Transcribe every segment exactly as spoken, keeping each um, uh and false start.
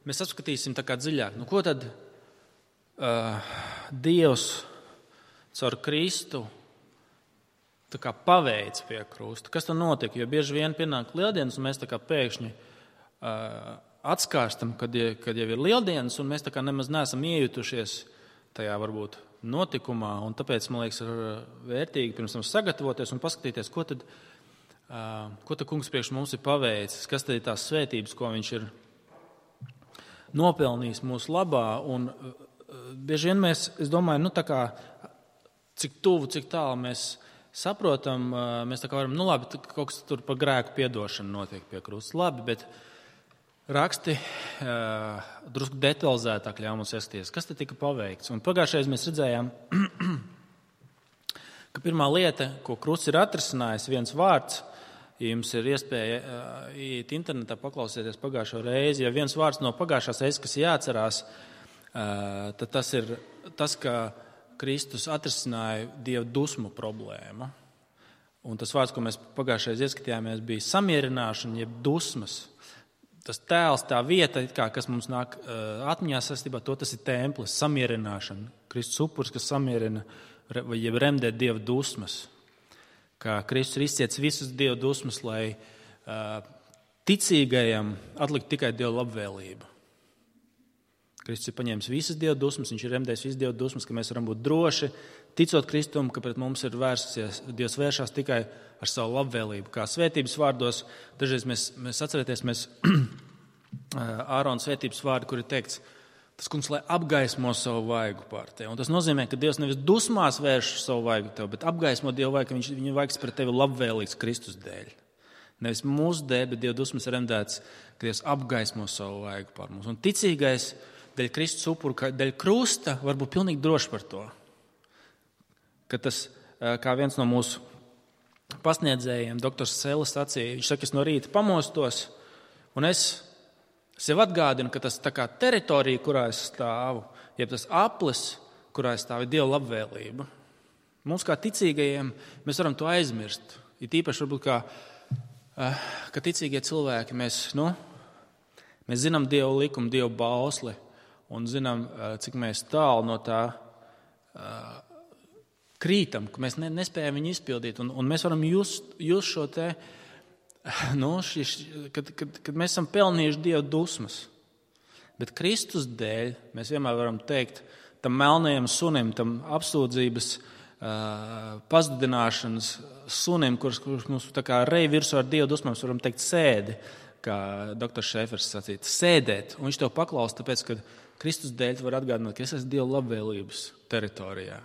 mēs apskatīsim tā kā dziļāk. Nu, ko tad uh, Dievs caur Kristu tā kā paveic pie krusta? Kas tad notika? Jo bieži vien pienāk lieldienas, un mēs tā kā pēkšņi uh, atskārstam, kad, kad jau ir lieldienas, un mēs tā kā nemaz neesam iejutušies tajā varbūt notikumā, un tāpēc, man liekas, ir vērtīgi pirms tam sagatavoties un paskatīties, ko tad, uh, ko tad kungs priekš mums ir paveicis, kas tad ir tās svētības, ko viņš ir nopelnījis mūsu labā, un uh, bieži vien mēs, es domāju, nu tā kā, cik tuvu, cik tālu mēs saprotam, uh, mēs tā kā varam, nu labi, kaut kas tur par grēku piedošanu notiek pie krusta, labi, bet raksti uh, drusku detalizētāk ļauj mums ieskatīties, kas te tika paveikts. Un pagājušajā mēs redzējām, ka pirmā lieta, ko krusts ir atrisinājis, viens vārds, ja jums ir iespēja uh, iet internetā paklausieties pagājušo reizi, ja viens vārds no pagājušās reizes, kas jāatcerās, uh, tad tas ir tas, ka Kristus atrisināja Dieva dusmu problēmu. Un tas vārds, ko mēs pagājušajā ieskatījāmies, bija samierināšana, jeb dusmas. Tas tēls, tā vieta, kā, kas mums nāk uh, atmiņā saistībā, to tas ir templis, samierināšana. Kristus upuris, kas samierina, vai jeb remdē Dieva dusmas. Kā Kristus ir izciets visas Dieva dusmas, lai uh, ticīgajam atlikt tikai Dieva labvēlību. Kristus ir paņēmis visas Dieva dusmas, viņš ir remdējis visas Dieva dusmas, ka mēs varam būt droši, ticot Kristum, ka pret mums ir vērsies, Dievs vēršās tikai ar savu labvēlību. Kā svētības vārdos, dažreiz mēs, mēs atcerēties, mēs Ārona svētības vārdi, kur ir teikts, tas kungs, lai apgaismo savu vaigu pār tevi. Un tas nozīmē, ka Dievs nevis dusmās vērš savu vaigu tev, bet apgaismo Dievu vaigu, ka viņš, viņa vaigs pret tevi labvēlīgs Kristus dēļ. Nevis mūsu dēļ, bet Dieva dusmas ir remdēts, ka Dievs apgaismo savu vaigu pār mums. Un ticīgais dēļ Kristus upuru, dēļ krusta var būt pilnīgi droši par to. Ka tas, kā viens no mūsu pasniedzējiem, doktors Selis sacīja, viņš saka, es no rīta pamostos, un es sev atgādinu, ka tas tā kā teritorija, kurā es stāvu, jeb tas aplis, kurā es stāvu, ir Dieva labvēlība. Mums kā ticīgajiem, mēs varam to aizmirst. Ir īpaši varbūt kā, ka ticīgie cilvēki, mēs, nu, mēs zinām Dieva likumu, Dieva bausli, un zinām, cik mēs tālu no tā krītam, ka mēs nespējam viņu izpildīt. Un, un mēs varam just, just šo te, nu, šis, kad, kad, kad mēs esam pelnījuši Dieva dusmas. Bet Kristus dēļ mēs vienmēr varam teikt tam melnajam sunim, tam apsūdzības uh, pazudināšanas sunim, kurš, kurš mums tā kā rej virsū ar Dieva dusmām, mēs varam teikt sēdi, kā doktors Šēfers sacīja, sēdēt. Un viņš tev paklaus, tāpēc, ka Kristus dēļ var atgādināt, ka es esmu Dieva labvēlības teritorijā.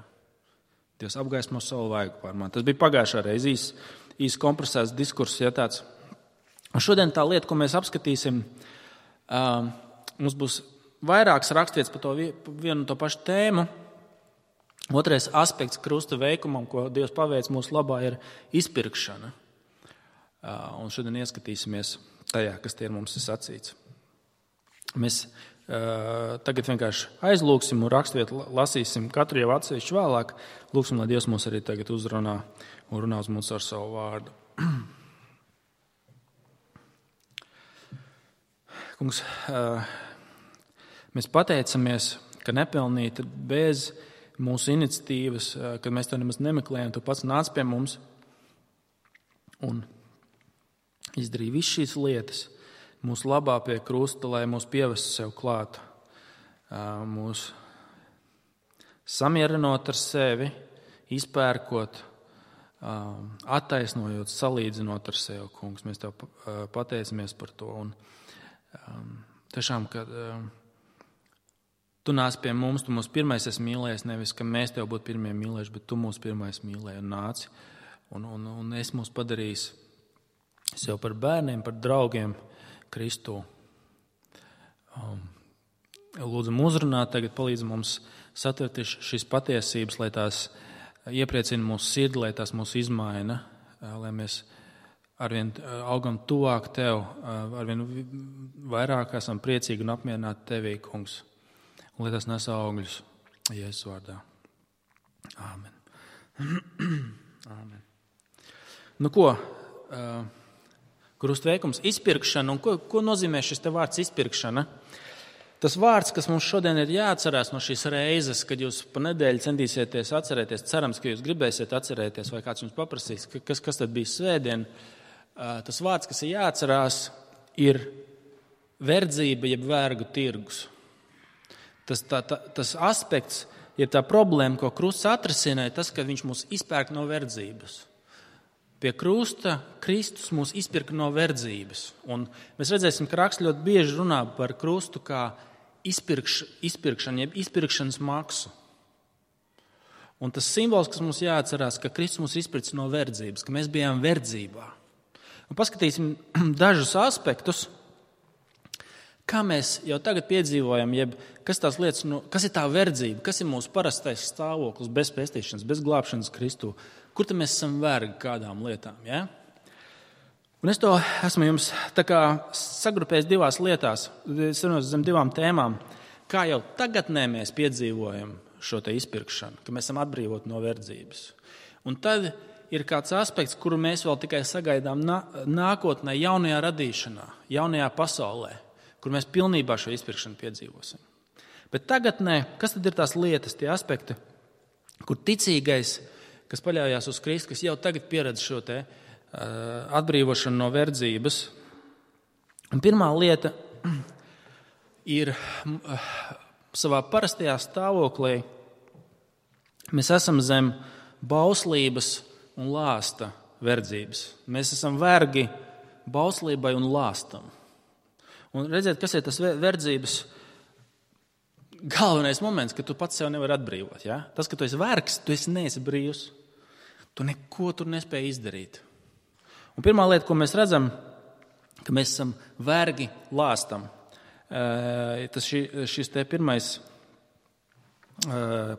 Dievs apgaismo savu vaigu pār mani. Tas bija pagājušā reize, īs, īs kompresēts diskurss, ja tāds. Un šodien tā lieta, ko mēs apskatīsim, uh, mums būs vairākas rakstvietas par to vienu un to pašu tēmu. Otrais aspekts krusta veikumam, ko Dievs paveic mūsu labā, ir izpirkšana. Uh, un šodien ieskatīsimies tajā, kas tie ir mums ir sacīts. Mēs Uh, tagad vienkārši aizlūksim un rakstvietu lasīsim katru jau atsevišķi vēlāk. Lūksim, lai Dievs mūs arī tagad uzrunā un runā uz mums ar savu vārdu. Kungs, uh, mēs pateicamies, ka nepelnīti bez mūsu iniciatīvas, uh, kad mēs to nemaz nemeklējam, tu pats nāc pie mums un izdarīji visu šīs lietas mūsu labā pie krusta, lai mūs pievestu sev klāt, mūs samierinot ar sevi, izpērkot, attaisnojot, salīdzinot ar sevi, kungs. Mēs tev pateicamies par to. Un, tiešām, ka tu nāc pie mums, tu mūs pirmais esi mīlējis, nevis, ka mēs tev būtu pirmie mīlējuši, bet tu mūs pirmais mīlēji un nāci. Un, un, un es mūs padarījis sev par bērniem, par draugiem, Kristu. Lūdzam uzrunāt, tagad palīdz mums satvert šīs patiesības, lai tās iepriecina mūsu sirdi, lai tās mūs izmaina, lai mēs arvien augam tuvāk tev, arvien vairāk esam priecīgi un apmierināti tevī, kungs. Un lai tas nes augļus Jēzus vārdā. Āmen. Āmen. Nu ko? Krusta veikums, izpirkšana, un ko, ko nozīmē šis te vārds izpirkšana? Tas vārds, kas mums šodien ir jāatcerās no šīs reizes, kad jūs pa nedēļu centīsieties atcerēties, cerams, ka jūs gribēsiet atcerēties, vai kāds jums paprasīs, kas, kas tad bija svētdien, tas vārds, kas ir jāatcerās, ir verdzība, jeb vergu tirgus. Tas, tā, tā, tas aspekts, jeb tā problēma, ko krusts atrisināja, tas, ka viņš mūs izpērk no verdzības. Pie krusta Kristus mūs izpirka no verdzības. Un mēs redzēsim, ka raksts ļoti bieži runā par krustu kā izpirkš, izpirkšanu, jeb izpirkšanas maksu. Un tas simbols, kas mums jāatcerās, ka Kristus mūs izpirks no verdzības, ka mēs bijām verdzībā. Un paskatīsim dažus aspektus, kā mēs jau tagad piedzīvojam, jeb kas tās lietas, nu, kas ir tā verdzība, kas ir mūsu parastais stāvoklis bez pestīšanas, bez glābšanas Kristū. Kur tad mēs esam vergi kādām lietām? Ja? Un es to esmu jums tā kā sagrupējis divās lietās, zem divām tēmām, kā jau tagadnē mēs piedzīvojam šo te izpirkšanu, ka mēs esam atbrīvoti no verdzības. Un tad ir kāds aspekts, kuru mēs vēl tikai sagaidām nākotnē, jaunajā radīšanā, jaunajā pasaulē, kur mēs pilnībā šo izpirkšanu piedzīvosim. Bet tagadnē, kas tad ir tās lietas, tie aspekti, kur ticīgais, kas paļaujās uz Kristu, kas jau tagad pieredz šo te uh, atbrīvošanu no verdzības. Un pirmā lieta ir uh, savā parastajā stāvoklī mēs esam zem bauslības un lāsta verdzības. Mēs esam vergi bauslībai un lāstam. Un redziet, kas ir tas verdzības galvenais moments, ka tu pats sev nevari atbrīvot. Ja? Tas, ka tu esi vergs, tu esi neesi brīvs. Tu neko tur nespēji izdarīt. Un pirmā lieta, ko mēs redzam, ka mēs esam vergi lāstam. Tas šī, šis te pirmais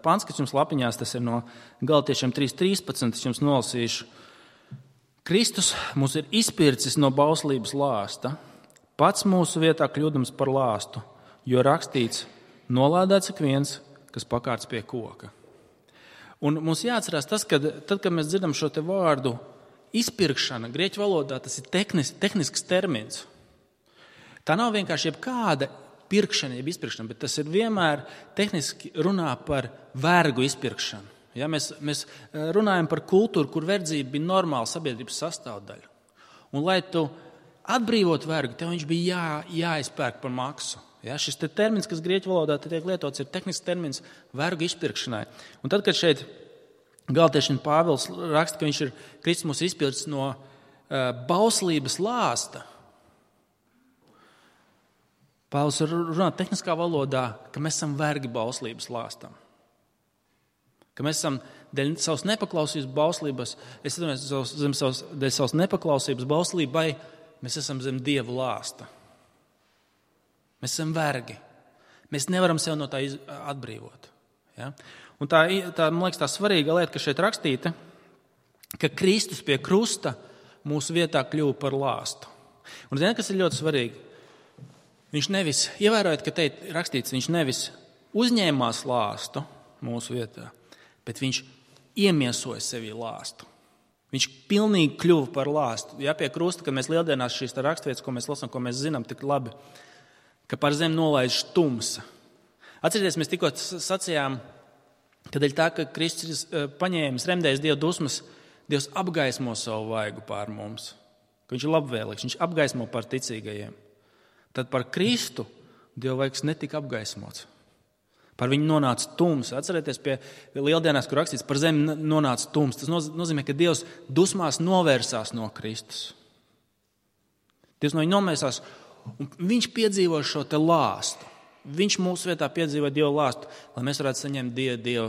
pants, kas jums lapiņās, tas ir no Galatiešiem trīs trīspadsmit, es jums nolasīšu. Kristus mūs ir izpircis no bauslības lāsta, pats mūsu vietā kļūdams par lāstu, jo rakstīts, nolādēts ik viens, kas pakārts pie koka. Un mums jāatcerās tas, ka tad, kad mēs dzirdam šo te vārdu izpirkšana, grieķu valodā tas ir tehnis, tehnisks termins. Tā nav vienkārši jebkāda pirkšana, jeb izpirkšana, bet tas ir vienmēr tehniski runā par vergu izpirkšanu. Ja, mēs, mēs runājam par kultūru, kur verdzība bija normāla sabiedrības sastāvdaļa. Un lai tu atbrīvot vergu, tev viņš bija jā, jāizpērk par maksu. Ja, šis te termins, kas grieķu valodā tiek lietots, ir tehnisks termins vergu izpirkšanai. Un tad, kad šeit Galatiešiem Pāvils raksta, ka viņš ir Kristus mūs izpircis no uh, bauslības lāsta, Pāvils runā tehniskā valodā, ka mēs esam vergi bauslības lāstam. Ka mēs esam dēļ savas nepaklausības bauslības, es domāju, zem savas, dēļ savas nepaklausības bauslībai, mēs esam zem Dieva lāsta. Mēs esam vergi. Mēs nevaram sev no tā atbrīvot. Ja? Un tā, tā, man liekas, tā svarīga lieta, ka šeit rakstīta, ka Kristus pie krusta mūsu vietā kļuva par lāstu. Un ziniet, kas ir ļoti svarīgi? Viņš nevis, ievērojot, ka te ir rakstīts, viņš nevis uzņēmās lāstu mūsu vietā, bet viņš iemiesoja sevī lāstu. Viņš pilnīgi kļuva par lāstu. Ja pie krusta, kad mēs lieldienās šīs rakstvietas, ko mēs lasām, ko mēs zinām tik labi, ka par zemi nolaiž tumsa. Atcerieties, mēs tikko sacījām, ka dēļ tā, ka Kristus ir paņēmis, remdējis Dieva dusmas, Dievs apgaismo savu vaigu pār mums. Ka viņš ir labvēlīgs, viņš apgaismo par ticīgajiem. Tad par Kristu Dieva vaigs netika apgaismots. Par viņu nonāca tums. Atcerieties, pie lieldienās, kur rakstīts, par zemi nonāca tums. Tas nozīmē, ka Dievs dusmās novērsās no Kristus. Dievs no viņa novērsās. Un viņš piedzīvo šo te lāstu. Viņš mūsu vietā piedzīvo Dieva lāstu, lai mēs varētu saņemt Dieva, Dieva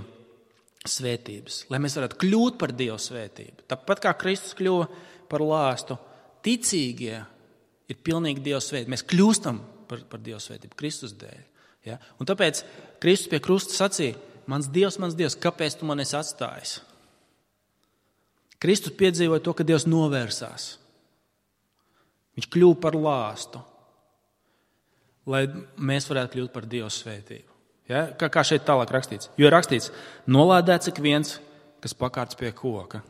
svētības, lai mēs varētu kļūt par Dieva svētību. Tāpat kā Kristus kļuva par lāstu, ticīgie ir pilnīgi Dieva svētība. Mēs kļūstam par, par Dieva svētību Kristus dēļ. Ja? Un tāpēc Kristus pie krusta sacīja, mans Dievs, mans Dievs, kāpēc tu man esi atstājis? Kristus piedzīvoja to, ka Dievs novērsās. Viņš kļuva par lāstu, lai mēs varētu kļūt par Dieva svētību. Ja? Kā, kā šeit tālāk rakstīts? Jo rakstīts, nolādēts ik viens, kas pakārts pie koka.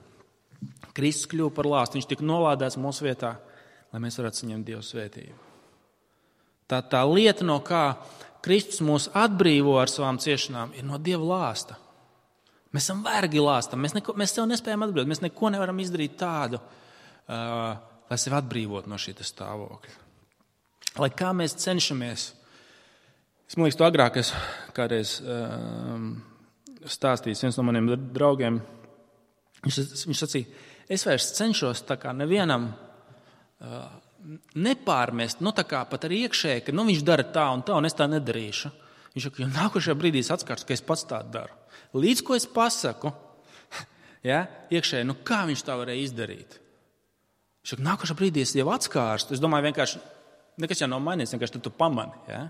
Kristus kļuva par lāstu, viņš tika nolādēts mūsu vietā, lai mēs varētu saņemt Dieva svētību. Tā, tā lieta, no kā Kristus mūs atbrīvo ar savām ciešanām, ir no Dieva lāsta. Mēs esam vergi lāstam, mēs, neko, mēs sev nespējam atbrīvot, mēs neko nevaram izdarīt tādu, uh, lai sevi atbrīvot no šī stāvokļa. Lai kā mēs cenšamies, es man liekas, to agrāk es kādreiz uh, stāstījis viens no maniem draugiem, viņš, viņš sacīja, es vairs cenšos tā kā nevienam uh, nepārmest, nu tā kā pat arī iekšēji, ka nu, viņš dara tā un tā, un es tā nedarīšu. Viņš saka, jo nākošajā brīdī es atskārs, ka es pats tā daru. Līdz ko es pasaku, ja, iekšēji, nu kā viņš tā varēja izdarīt? Viņš saka, nākošajā brīdī es jau atskārstu. Es domāju, vienkārši, nekas jau nav mainīts, vienkārši tad tu pamani. Ja?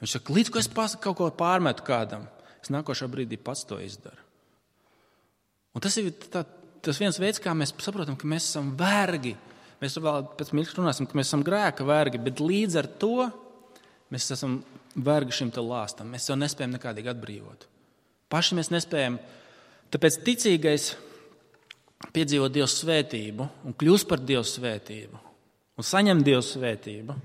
Viņš saka, līdz ko es pasaku, kaut ko pārmetu kādam, es nākošajā brīdī pats to izdaru. Un tas ir tā, tas viens veids, kā mēs saprotam, ka mēs esam vergi. Mēs vēl pēc mirkļa runāsim, ka mēs esam grēka vergi, bet līdz ar to mēs esam vergi šim te lāstam. Mēs jau nespējam nekādīgi atbrīvot. Paši mēs nespējam. Tāpēc ticīgais piedzīvo Dieva svētību un kļūst par Dieva svētību un saņem Dieva svētību.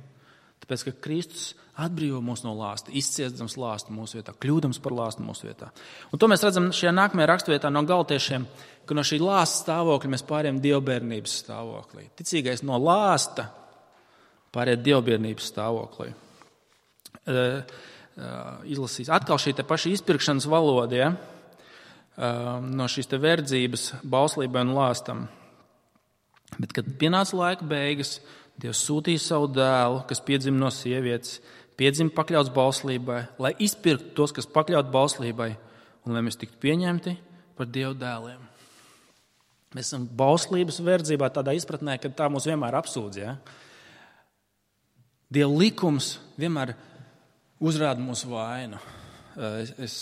Tāpēc, ka Kristus atbrīvo mūs no lāsta, izciestams lāstu mūsu vietā, kļūdams par lāstu mūsu vietā. Un to mēs redzam šajā nākamajā raksturvietā no Galatiešiem, ka no šī lāsta stāvokļa mēs pārējām dievbērnības stāvoklī. Ticīgais no lāsta pārējām dievbērnības stāvoklī. Uh, uh, izlasīs. Atkal šī te paša izpirkšanas valoda, ja? uh, no šīs te verdzības, bauslībai un lāstam. Bet, kad pienāca laika beigas, Dievs sūtīja savu dēlu, kas piedzima no sievietes, piedzima pakļauts bauslībai, lai izpirktu tos, kas pakļaut bauslībai, un lai mēs tiktu pieņemti par Dieva dēliem. Mēs esam bauslības verdzībā tādā izpratnē, ka tā mūs vienmēr apsūdz. Ja? Dieva likums vienmēr uzrāda mūsu vainu. Es, es,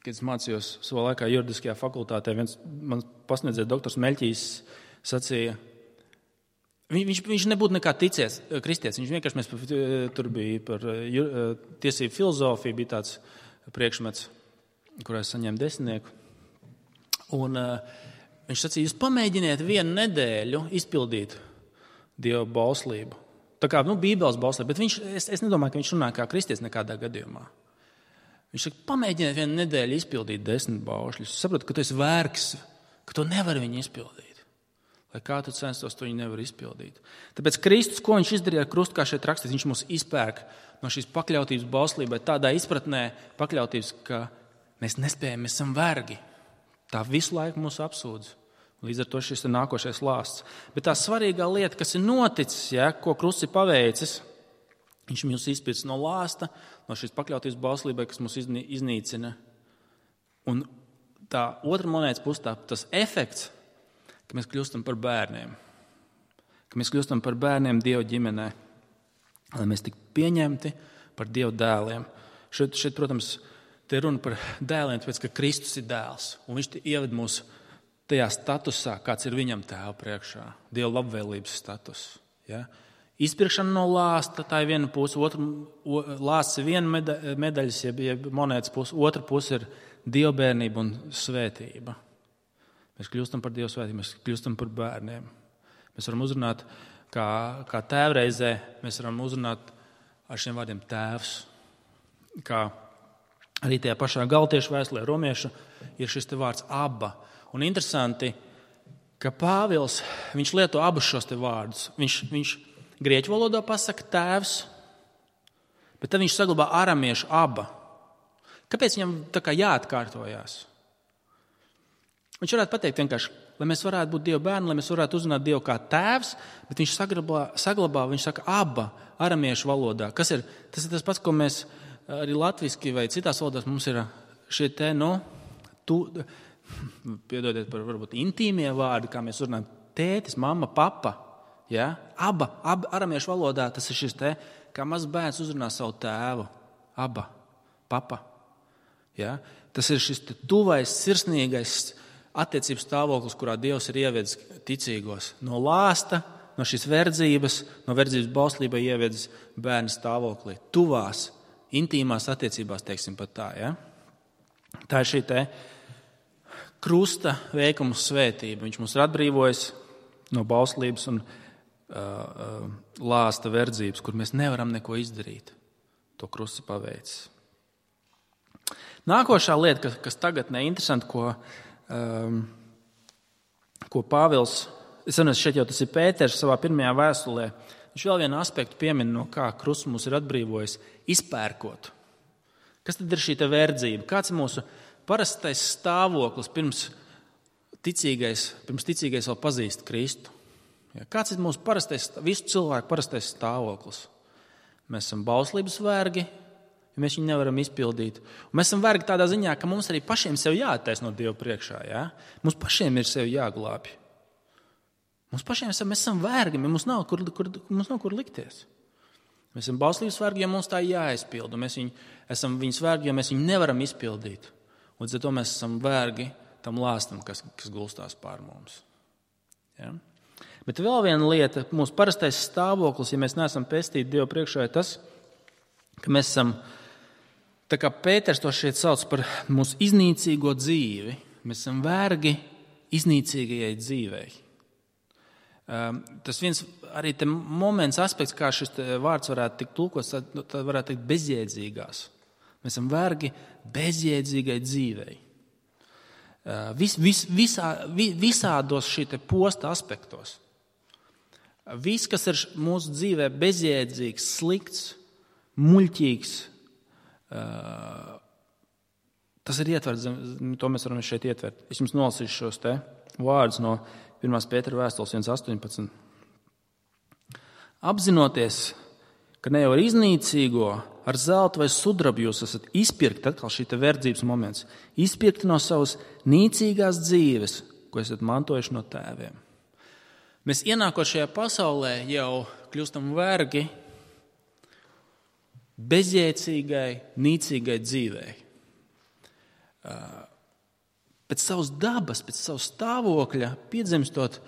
kad es mācījos savā laikā juridiskajā fakultātē, viens man pasniedzēja doktors Meļķīs sacīja, viņš, viņš nebūtu nekā ticies, kristietis. Viņš vienkārši mēs tur bija par tiesību filozofiju, bija tāds priekšmets, kurā es saņēmu desmitnieku. Un uh, viņš sacīja, jūs pamēģiniet vienu nedēļu izpildīt Dieva bauslību. Tā kā, nu, Bībeles bauslība, bet viņš, es, es nedomāju, ka viņš runā kā kristietis nekādā gadījumā. Viņš saka, pamēģiniet vienu nedēļu izpildīt desmit baušļus. Saprotu, ka tu esi vērks, ka tu nevari viņu izpildīt. Lai kā tu censtos, to viņi nevar izpildīt. Tāpēc Kristus, ko viņš izdarīja ar krustu, kā šeit rakstīts, viņš mūs izpērk no šīs pakļautības bauslībai, tādā izpratnē pakļautības, ka mēs nespējam, mēs esam vergi. Tā visu laiku mūs apsūdz. Līdz ar to šis ir nākošais lāsts. Bet tā svarīgā lieta, kas ir noticis, ja, ko krusts ir paveicis, viņš mūs izpirks no lāsta, no šīs pakļautības bauslībai, kas mūs iznīcina. Un tā otra monētas puse, tā, tas efekts, ka mēs kļūstam par bērniem. Ka mēs kļūstam par bērniem Dieva ģimenē. Lai mēs tiktu pieņemti par Dieva dēliem. Šeit, šeit, protams, te runa par dēliem, tāpēc, ka Kristus ir dēls. Un viņš ieved mūs tajā statusā, kāds ir viņam tēva priekšā. Dieva labvēlības status. Ja? Izpirkšana no lāsta, tā ir viena puse. Otra, o, lāsts ir viena meda, medaļas, jeb, jeb monētas puse. Otra puse ir dievbērnība un svētība. Mēs kļūstam par Dievu svētību, mēs kļūstam par bērniem. Mēs varam uzrunāt, kā, kā tēvreizē, mēs varam uzrunāt ar šiem vārdiem tēvs. Kā arī tajā pašā Galtiešu vēstulē romiešu ir šis te vārds aba. Un interesanti, ka Pāvils, viņš lieto abus šos te vārdus. Viņš, viņš grieķu valodā pasaka tēvs, bet tad viņš saglabā aramiešu aba. Kāpēc viņam tā kā jāatkārtojās? Viņš varētu pateikt vienkārši, lai mēs varētu būt Dieva bērni, lai mēs varētu uzrunāt Dievu kā tēvs, bet viņš saglabā, saglabā viņš saka aba aramiešu valodā. Kas ir? Tas ir tas pats, ko mēs arī latviski vai citās valodās mums ir šie te, nu, tu, piedodiet par varbūt intīmie vārdi, kā mēs runājam, tētis, mamma, papa. Ja? Aba, aba aramiešu valodā tas ir šis te, kā mazs bērns uzrunā savu tēvu. Aba, papa. Ja? Tas ir šis te tuvais, sirsnīgais attiecības stāvoklis, kurā Dievs ir ievedis ticīgos. No lāsta, no šīs verdzības, no verdzības bauslībai ievedis bērnu stāvoklī. Tuvās, intīmās attiecībās, teiksim pat tā. Ja? Tā ir šī te krusta veikuma svētība. Viņš mums ir atbrīvojis no bauslības un uh, uh, lāsta verdzības, kur mēs nevaram neko izdarīt. to krustu paveicis. Nākošā lieta, kas, kas tagad neinteresanti, ko, um, ko Pāvils, es zinu, šeit jau tas ir Pēters savā pirmajā vēstulē, viņš vēl vienu aspektu piemin, no kā krusts mūs ir atbrīvojis, izpērkot. Kas tad ir šī te verdzība? Kāds ir mūsu parastais stāvoklis pirms ticīgais, pirms ticīgais vēl pazīst Kristu? Ja, kāds ir mūsu parastais, visu cilvēku parastais stāvoklis? Mēs esam bauslības vergi, ja mēs viņu nevaram izpildīt. Un mēs esam vergi tādā ziņā, ka mums arī pašiem sev jāattaisno Dievu priekšā. Ja? Mums pašiem ir sev jāglābj. Mums pašiem esam, mēs esam vergi, mums nav kur, kur, mums nav kur likties. Mēs esam bauslības vergi, ja mums tā jāizpild. Mēs viņu, esam viņas vergi, ja mēs viņu nevaram izpildīt. Un līdz ar to mēs esam vergi tam lāstam, kas, kas gulstās pār mums. Ja? Bet vēl viena lieta, mūsu parastais stāvoklis, ja mēs neesam pestīti Dievu priekšā, ir tas, ka mēs esam, tā kā Pēters to šeit sauc par mūsu iznīcīgo dzīvi, mēs esam vergi iznīcīgajai dzīvei. Tas viens arī te moments, aspekts, kā šis vārds varētu tikt tulkots, tad varētu teikt bezjēdzīgās. Mēs esam vergi bezjēdzīgai dzīvei. Vis, vis, visā, visādos šī te posta aspektos. Viss, kas ir mūsu dzīvē bezjēdzīgs, slikts, muļķīgs, tas ir ietverts, to mēs varam šeit ietvert. Es jums nolasīšu šos te vārdus no pirmās Pētera vēstules viens astoņpadsmit. Apzinoties, ka ne jau ar iznīcīgo, ar zeltu vai sudrabu jūs esat izpirkti, atkal šī te verdzības moments, izpirkti no savas nīcīgās dzīves, ko esat mantojuši no tēviem. Mēs ienākot šajā pasaulē jau kļūstam vergi bezjēdzīgai, nīcīgai dzīvei. Pēc savas dabas, pēc savas stāvokļa, piedzimstot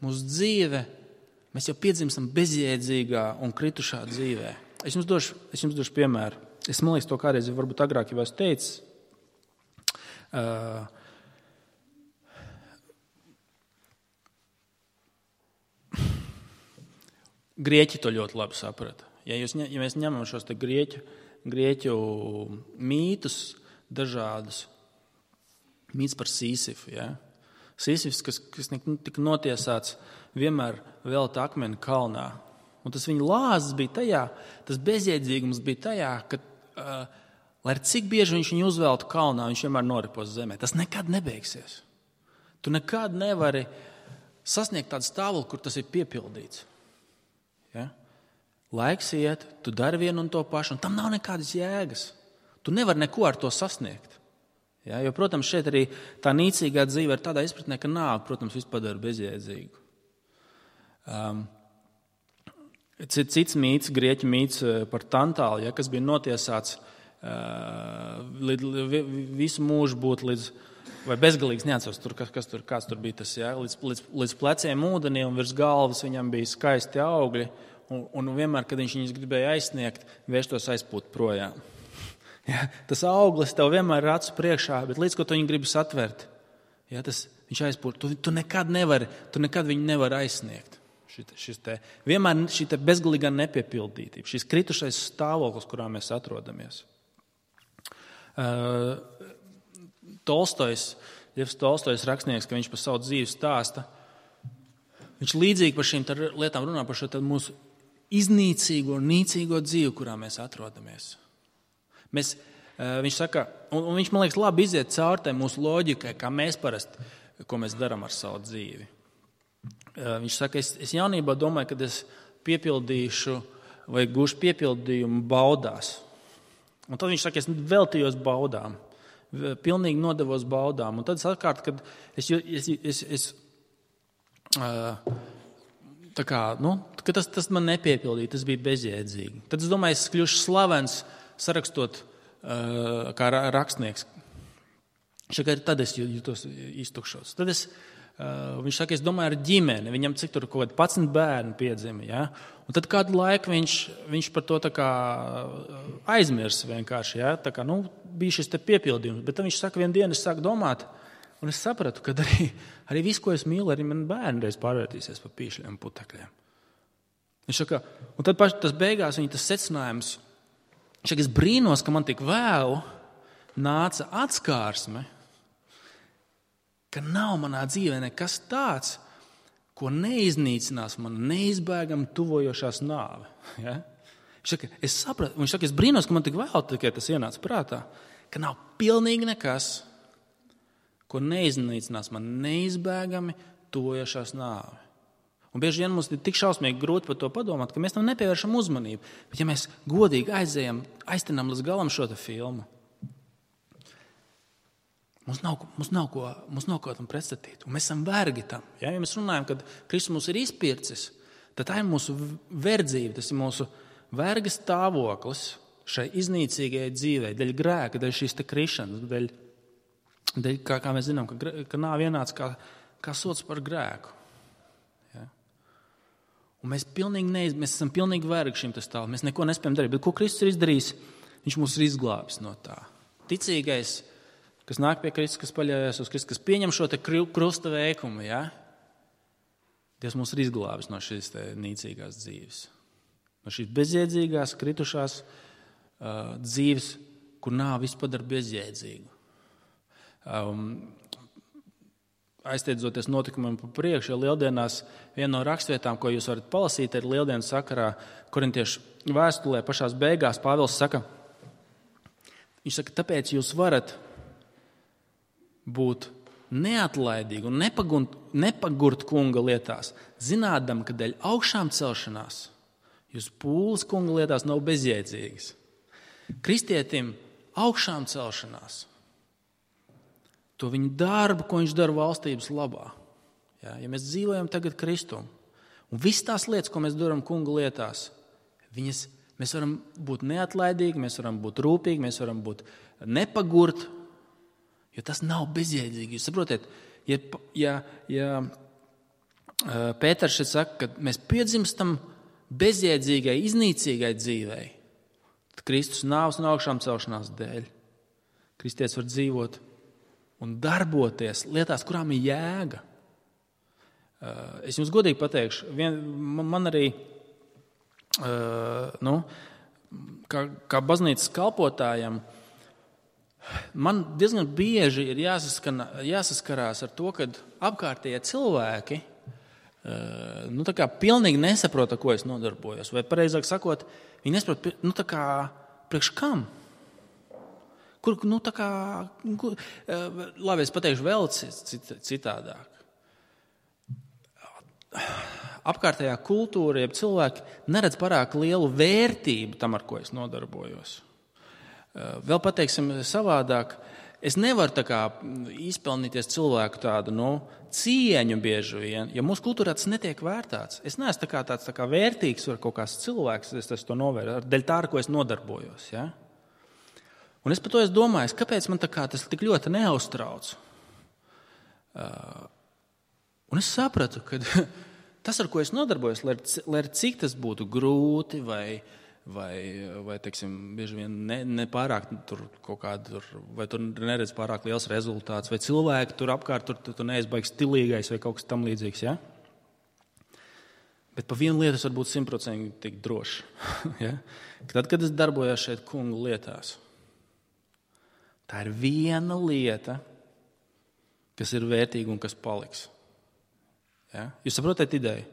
mūsu dzīve, mēs jau piedzimstam bezjēdzīgā un kritušā dzīvē. Es jums došu, es jums došu piemēru. Es, man liekas, to kādreiz varbūt agrāk jau esmu teicis. Uh, Grieķi to ļoti labi saprata. Ja, jūs, ja mēs ņemam šos te grieķu, grieķu mītus, dažādus, mīts par Sīsifu. Ja? Sīsifs, kas, kas tika notiesāts, vienmēr velta akmeni kalnā. Un tas viņa lāzes bija tajā, tas bezjēdzīgums bija tajā, ka, uh, lai cik bieži viņš viņu uzveltu kalnā, viņš vienmēr noripos zemē. Tas nekad nebeigsies. Tu nekad nevari sasniegt tādu stāvokli, kur tas ir piepildīts. Ja? Laiks iet, tu dari vienu un to pašu, un tam nav nekādas jēgas. Tu nevari neko ar to sasniegt. Ja? Jo, protams, šeit arī tā nīcīgā dzīve ir tādā izpratnē, ka nāk, protams, viss padara bezjēdzīgu. Um, cits mīts, grieķu mīts par Tantālu, ja, kas bija notiesāts uh, līdz, visu mūžu būt līdz, vai bezgalīgs, neatceros, tur, kas, kas tur, kāds tur bija tas, ja, līdz, līdz, līdz pleciem ūdenī un virs galvas viņam bija skaisti augļi, un, un vienmēr, kad viņš viņus gribēja aizsniegt, vērstos aizpūt projām. Ja, tas auglis tev vienmēr ir acu priekšā, bet līdz ko tu viņu gribi satvert, ja, tas, viņš aizpūt, tu, tu nekad nevari, tu nekad viņu nevari aizsniegt. Šit, šis te, vienmēr šī te bezgalīgā nepiepildītība, šis kritušais stāvoklis, kurā mēs atrodamies. Uh, Tolstojs, Ļevs Tolstojs rakstnieks, ka viņš par savu dzīvi stāsta, viņš līdzīgi par šīm lietām runā par šo mūsu iznīcīgo, nīcīgo dzīvi, kurā mēs atrodamies. Mēs, uh, viņš saka, un, un viņš, man liekas, labi iziet caur tai mūsu loģikai, kā mēs parasti, ko mēs darām ar savu dzīvi. Viņš saka, es, es jaunībā domāju, kad es piepildīšu vai gūšu piepildījumu baudās. Un tad viņš saka, es veltījos baudām, pilnīgi nodevos baudām. Un tad es atkārt, kad es, es, es, es tā kā, nu, ka tas, tas man nepiepildīja, tas bija bezjēdzīgi. Tad es domāju, es kļušu slavens sarakstot kā rakstnieks. Šakā, tad es jūtos iztukšots. Tad es Uh, viņš saka, es domāju ar ģimeni, viņam cik tur kaut kādi padsmit bērni piedzima, ja? Un tad kādu laiku viņš, viņš par to tā kā aizmirs vienkārši, ja? Tā kā, nu, bija šis te piepildījums, bet tad viņš saka, vienu dienu es sāku domāt, un es sapratu, ka arī, arī visu, ko es mīlu, arī man bērni reiz pārvērtīsies par pīšļiem un putekļiem. Viņš saka, un tad paši tas beigās viņa tas secinājums, Viņš saka, es brīnos, ka man tik vēl nāca atskārsme, ka nav manā dzīvē nekas tāds, ko neiznīcinās man neizbēgami tuvojošās nāve. Ja? Viņš saka, es sapratu, viņš saka, es brīnos, ka man tik vēl tikai tas ienāca prātā, ka nav pilnīgi nekas, ko neiznīcinās man neizbēgami tuvojošās nāve. Un bieži vien mums ir tik šausmīgi grūti par to padomāt, ka mēs tam nepievēršam uzmanību. Bet ja mēs godīgi aizējam, aiztenam līdz galam šo te filmu, mums nav, mums nav, ko, mums nav ko tam pretstatīt. Un mēs esam vergi tam. Ja, ja mēs runājam, kad Kristus mūs ir izpircis, tad tā ir mūsu verdzība, tas ir mūsu verga stāvoklis šai iznīcīgajai dzīvei, dēļ grēka, dēļ šīs te krišanas, dēļ, dēļ kā, kā mēs zinām, ka, ka nāve ienāca kā, kā sots par grēku. Ja? Un mēs, neiz, mēs esam pilnīgi vergi šim tas stāvoklim, mēs neko nespējam darīt. Bet ko Kristus ir izdarījis? Viņš mūs ir izglābis no tā. Ticīgais, kas nāk pie Kristus, kas paļaujas uz Kristus, kas pieņem šo te krusta veikumu, ja? Dievs mūs ir izglābis no šīs te nīcīgās dzīves. No šīs bezjēdzīgās, kritušās uh, dzīves, kur nāve visu padara bezjēdzīgu. Um, aiztiedzoties notikumiem pa priekšu, ja lieldienās viena no rakstvietām, ko jūs varat palasīt, ir lieldienu sakarā Korintiešu vēstulē pašās beigās Pāvils saka, viņš saka, tāpēc jūs varat būt neatlaidīgi un nepagurt, nepagurt kunga lietās, zinādam, ka dēļ augšām celšanās jūs pūles kunga lietās nav bezjēdzīgas. Kristietim augšām celšanās, to viņa darbu, ko viņš dara valstības labā. Ja, ja mēs dzīvojam tagad Kristum, un visas tās lietas, ko mēs darām kunga lietās, viņas, mēs varam būt neatlaidīgi, mēs varam būt rūpīgi, mēs varam būt nepagurt, jo tas nav bezjēdzīgi. Jūs saprotiet, ja, ja, ja Pēters šeit saka, ka mēs piedzimstam bezjēdzīgai, iznīcīgai dzīvei, tad Kristus nāves un augšām celšanās dēļ. Kristietis var dzīvot un darboties lietās, kurām ir jēga. Es jums godīgi pateikšu, vien, man arī, nu, kā, kā baznīcas kalpotājam, man diezgan bieži ir jāsaskarās ar to, ka apkārtējie cilvēki nu, tā kā pilnīgi nesaprota, ko es nodarbojos. Vai pareizāk sakot, viņi nesaprot, nu, tā kā priekš kam? Kur, nu, tā kā, kur, labi, es pateikšu vēl citādāk. Apkārtējā kultūra, ja cilvēki neredz pārāk lielu vērtību tam, ar ko es nodarbojos. Vēl pateiksim savādāk, es nevaru tā kā izpelnīties cilvēku tādu, nu, cieņu bieži vien, ja mūsu kultūrā tas netiek vērtāts. Es neesmu tā kā tāds tā kā vērtīgs vai kaut kāds cilvēks, es, es to novērtu, dēļ tā, ar ko es nodarbojos. Ja? Un es par to es domāju, kāpēc man tā kā tas tik ļoti neuztrauc. Uh, un es sapratu, ka tas, ar ko es nodarbojos, lai, lai cik tas būtu grūti vai vai, vai teiksim, bieži vien ne, ne pārāk tur kaut kādu, vai tur neredz pārāk liels rezultāts, vai cilvēki tur apkārt, tur, tur, tur neizbaigs stilīgais vai kaut kas tam līdzīgs, ja? Bet pa vienu lietu es varu būt simtprocentīgi tik droši. Ja? Tad, kad es darbojos šeit kungu lietās, tā ir viena lieta, kas ir vērtīga un kas paliks. Ja? Jūs saprotat ideju?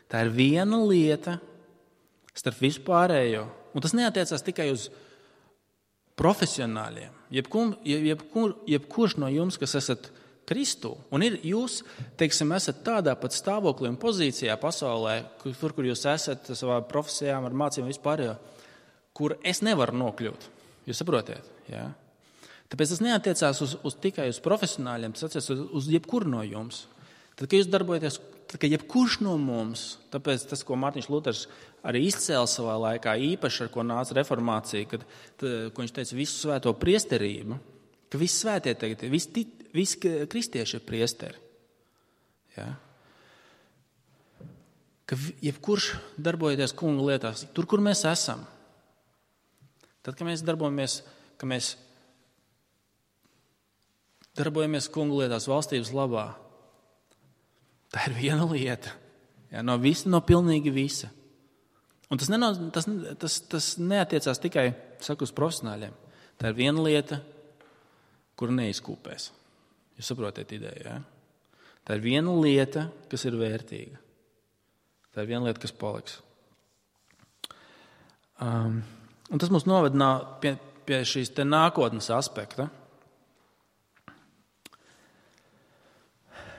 Tā ir viena lieta, starp visu pārējo. Un tas neatiecās tikai uz profesionāļiem. Jebkur, jebkur, jebkurš no jums, kas esat Kristū, un ir jūs, teiksim, esat tādā pat stāvoklī un pozīcijā pasaulē, kur, tur, kur jūs esat savā profesijām, ar mācībām vispārējo, kur es nevaru nokļūt. Jūs saprotiet? Ja? Tāpēc tas neatiecās uz, uz tikai uz profesionāļiem, tas attiecās uz, uz jebkuru no jums. Tad, kad jūs darbojaties, tad, kad jebkurš no mums, tāpēc tas, ko Mārtiņš Luters arī izcēla savā laikā, īpaši ar ko nāca reformācija, kad, tad, ko viņš teica, visu svēto priesterību, ka visi svētie tagad, visi, visi kristieši ir priesteri. Ja? Ka jebkurš darbojoties kungu lietās, tur, kur mēs esam, tad, kad mēs darbojamies, ka mēs darbojamies kungu lietās valstības labā, tā ir viena lieta. Ja, no visa, no pilnīgi visa. Un tas, neno, tas, tas, tas neatiecās tikai, saku, uz profesionāļiem. Tā ir viena lieta, kur neizkūpēs. Jūs saprotat ideju, jā? Tā ir viena lieta, kas ir vērtīga. Tā ir viena lieta, kas paliks. Um, un tas mums novedina pie, pie šīs te nākotnes aspekta.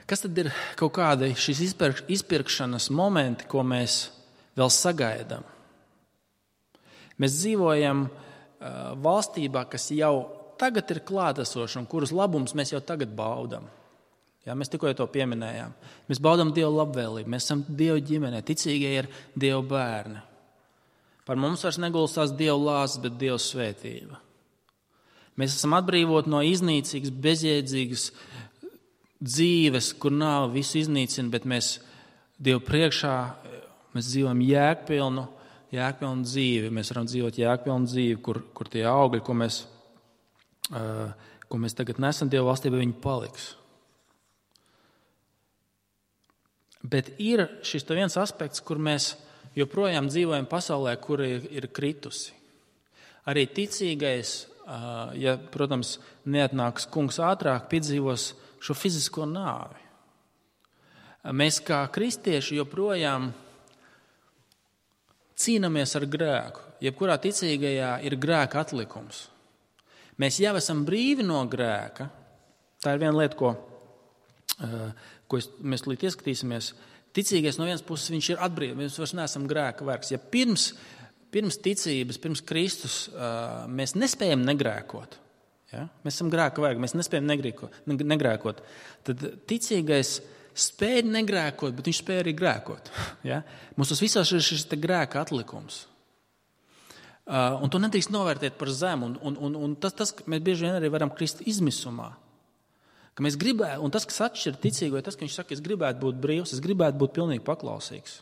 Kas tad ir kaut kādi šīs izpirk, izpirkšanas momenti, ko mēs vēl sagaidām? Mēs dzīvojam uh, valstībā, kas jau tagad ir klātesoša un kuras labums mēs jau tagad baudam. Jā, mēs tikko to pieminējām. Mēs baudam Dievu labvēlību, mēs esam Dievu ģimenē, ticīgie ir Dievu bērni. Par mums vairs negulstās Dievu lāsts, bet Dievu svētība. Mēs esam atbrīvoti no iznīcīgas, bezjēdzīgas dzīves, kur nav visu iznīcina, bet mēs Dievu priekšā mēs dzīvojam jēgpilnu, jēgpilnu dzīvi. Mēs varam dzīvot jēgpilnu dzīvi, kur, kur tie augļi, ko mēs, uh, ko mēs tagad nesam Dievu valstībā, viņi paliks. Bet ir šis viens aspekts, kur mēs joprojām dzīvojam pasaulē, kur ir, ir kritusi. Arī ticīgais, uh, ja, protams, neatnāks kungs ātrāk, piedzīvos šo fizisko nāvi. Mēs kā kristieši joprojām cīnāmies ar grēku. Jebkurā ticīgajā ir grēka atlikums. Mēs jau esam brīvi no grēka. Tā ir viena lieta, ko, ko mēs līdz ieskatīsimies. Ticīgais no vienas puses viņš ir atbrīvots. Mēs vairs neesam grēka vergs. Ja pirms, pirms ticības, pirms Kristus mēs nespējam negrēkot, ja? Mēs esam grēka vergi, mēs nespējam negrēkot, tad ticīgais spēja negrēkot, bet viņš spēja arī grēkot. Ja? Mums tas visās ir šis grēka atlikums. Uh, un to nedrīkst novērtēt par zemu. Un, un, un, un tas, tas, mēs bieži vien arī varam krist izmisumā. Ka mēs gribētu, un tas, kas atšķir ticīgo, ir tas, ka viņš saka, es gribētu būt brīvs, es gribētu būt pilnīgi paklausīgs.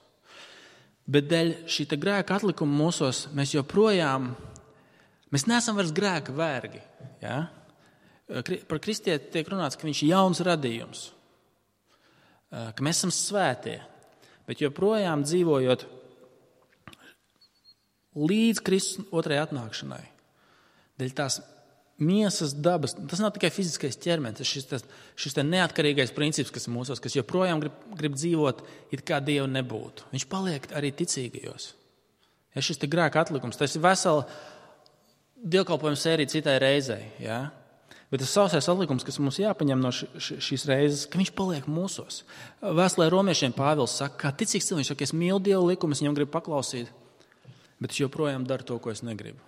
Bet dēļ šī grēka atlikuma mūsos mēs joprojām, mēs neesam vairs grēka vergi. Ja? Par kristieti tiek runāts, ka viņš ir jauns radījums. Ka mēs esam svētie, bet joprojām dzīvojot līdz Kristus otrajai atnākšanai. Dēļ tās miesas dabas, tas nav tikai fiziskais ķermenis, tas šis, tas, šis neatkarīgais princips, kas ir mūsos, kas joprojām grib, grib dzīvot, it kā Dievu nebūtu. Viņš paliek arī ticīgajos. Ja šis te grēka atlikums, tas ir vesela dievkalpojuma sērija citai reizei, ja? Bet tas sausais atlikums, kas mums jāpaņem no š, š, šīs reizes, ka viņš paliek mūsos. Vēstulē romiešiem Pāvils saka, kā ticīgs cilvēks, viņš saka, es mīlu Dievu likumu, es viņam gribu paklausīt, bet es joprojām daru to, ko es negribu.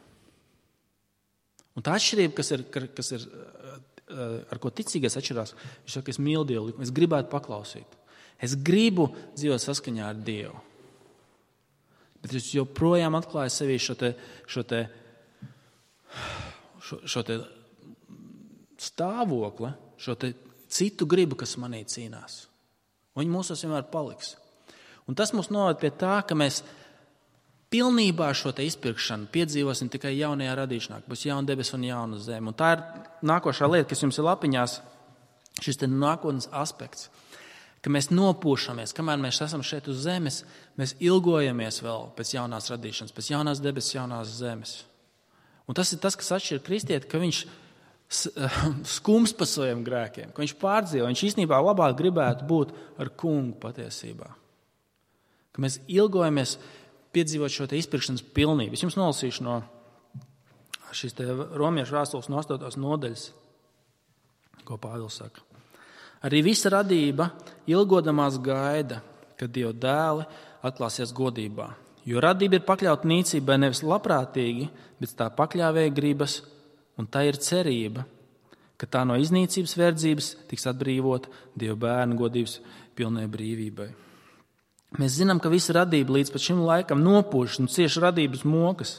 Un tā atšķirība, kas ir, kas ir ar ko ticīgais atšķirās, viņš saka, es mīlu Dievu likumu, es gribētu paklausīt. Es gribu dzīvot saskaņā ar Dievu. Bet es joprojām atklāju sevī šo te, šo te, šo, šo te stāvokli, šo te citu gribu, kas manī cīnās. Un viņi mūsos vienmēr paliks. Un tas mūs noved pie tā, ka mēs pilnībā šo te izpirkšanu piedzīvosim tikai jaunajā radīšanā, ka būs jauna debes un jauna zeme. Un tā ir nākošā lieta, kas jums ir lapiņās, šis te nākotnes aspekts, ka mēs nopūšamies, kamēr mēs esam šeit uz zemes, mēs ilgojamies vēl pēc jaunās radīšanas, pēc jaunās debes, jaunās zemes. Un tas ir tas, kas atšķir kristieti, ka viņš skums pa saviem grēkiem, ka viņš pārdzīvo, viņš īstenībā labāk gribētu būt ar kungu patiesībā. Ka mēs ilgojamies piedzīvot šo te izpirkšanas pilnību. Es jums nolasīšu no šīs te romiešu vēstules no astotās nodaļas, ko Pāvils saka. Arī visa radība ilgodamās gaida, kad Dieva dēli atklāsies godībā. Jo radība ir pakļauta nīcībai nevis labprātīgi, bet tā pakļāvēja gribas, un tā ir cerība, ka tā no iznīcības verdzības tiks atbrīvota Dieva bērnu godības pilnai brīvībai. Mēs zinām, ka visa radība līdz pat šim laikam nopūšas un cieši radības mokas,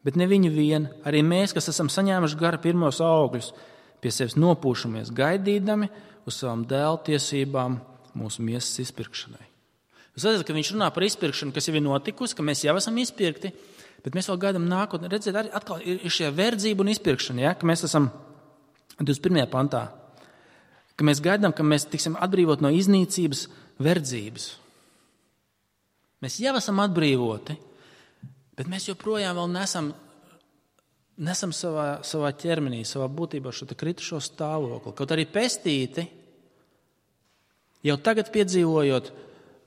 bet ne viņi vien, arī mēs, kas esam saņēmuši gara pirmos augļus, pie sevis nopūšamies, gaidīdami uz savām dēlu tiesībām mūsu miesas izpirkšanai. Jūs redzat, ka viņš runā par izpirkšanu, kas jau ir notikusi, ka mēs jau esam izpirkti, bet mēs vēl gaidām nākotnē. Redziet, arī atkal ir šie verdzība un izpirkšana, ja? Ka mēs esam divdesmit pirmajā pantā, ka mēs gaidām, ka mēs tiksim atbrīvot no iznīcības verdzības. Mēs jau esam atbrīvoti, Bet mēs joprojām vēl nesam, nesam savā, savā ķermenī, savā būtībā šo kritušo stāvokli. Kaut arī pestīti, jau tagad piedzīvojot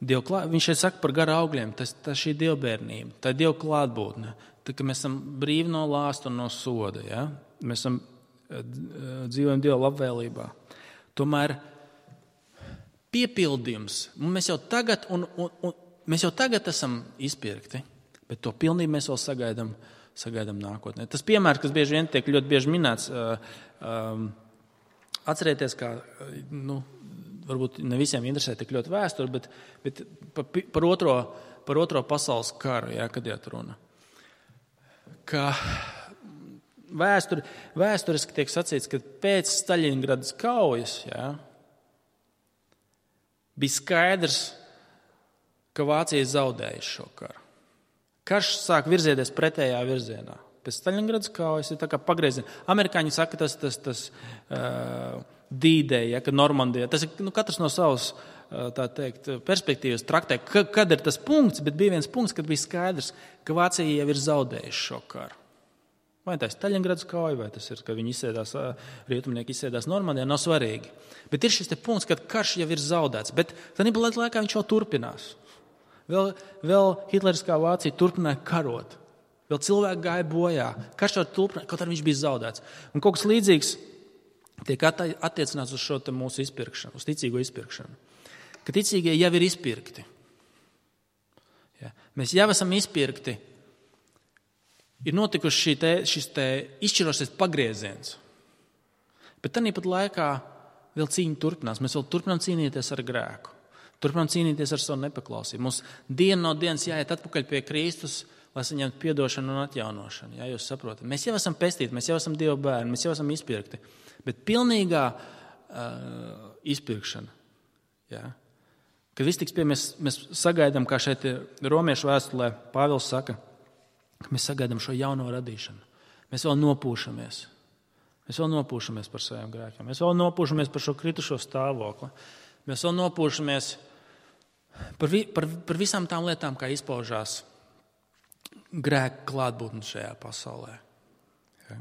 Dievu klāt, viņš šeit saka par gara augļiem, tas, tas šī dievbērnība, tā ir Dieva klātbūtne, tā, ka mēs esam brīvi no lāsta un no soda, ja? Mēs esam dzīvojam Dieva labvēlībā. Tomēr piepildījums, mēs jau tagad, un, un, un, mēs jau tagad esam izpirkti, bet to pilnību mēs vēl sagaidām, sagaidām nākotnē. Tas piemērs, kas bieži vien tiek ļoti bieži minēts, um, atcerieties, kā, nu, varbūt ne visiem interesē tik ļoti vēsturi, bet, bet par, par, otro, par otro pasaules karu, ja, kad iet runa. Ka vēsturi, vēsturiski tiek sacīts, ka pēc Staļingradas kaujas, ja, bija skaidrs, ka Vācija zaudējusi šo karu. Karš sāk virzieties pretējā virzienā. Pēc Staļingradas kaujas ir tā kā pagrieziena. Amerikāņi saka, tas, tas, tas uh, D-Day, ja, ka Normandijā, tas ir nu, katrs no savas uh, tā teikt, perspektīvas traktē, ka, kad ir tas punkts, bet bija viens punkts, kad bija skaidrs, ka Vācija jau ir zaudējuši šo karu. Vai tā ir Staļingradas kauja, vai tas ir, ka viņi izsēdās, rietumnieki izsēdās Normandijā, nav svarīgi. Bet ir šis te punkts, kad karš jau ir zaudēts, bet tad laikā viņš jau turpinās. Vēl, vēl hitleriskā Vācija turpināja karot. Vēl cilvēki gāja bojā. Karš jau turpināja, kaut arī viņš bija zaudēts. Un kaut kas līdzīgs tiek attiecināts uz šo mūsu izpirkšanu, uz ticīgo izpirkšanu. Ka ticīgie jau ir izpirkti. Ja. Mēs jau esam izpirkti. Ir notikuši šī te, šis te izšķirošais pagrieziens. Bet tāpat laikā vēl cīņa turpinās. Mēs vēl turpinām cīnīties ar grēku. Turpinām cīnīties ar savu nepaklausību. Mums dienu no dienas jāiet atpakaļ pie Kristus, lai saņemtu piedošanu un atjaunošanu. Jā, jūs saprotat. Mēs jau esam pestīti, mēs jau esam Dieva bērni, mēs jau esam izpirkti. Bet pilnīgā uh, izpirkšana, jā, kad viss tiks pie, mēs, mēs sagaidām, kā šeit Romiešu vēstulē Pāvils saka, ka mēs sagaidām šo jauno radīšanu. Mēs vēl nopūšamies. Mēs vēl nopūšamies par saviem grēkiem. Mēs vēl nopūšamies par šo kritušo stāvokli. Mēs vēl nopūšamies par, vi, par, par visām tām lietām, kā izpaužās grēka klātbūtne šajā pasaulē. Ja?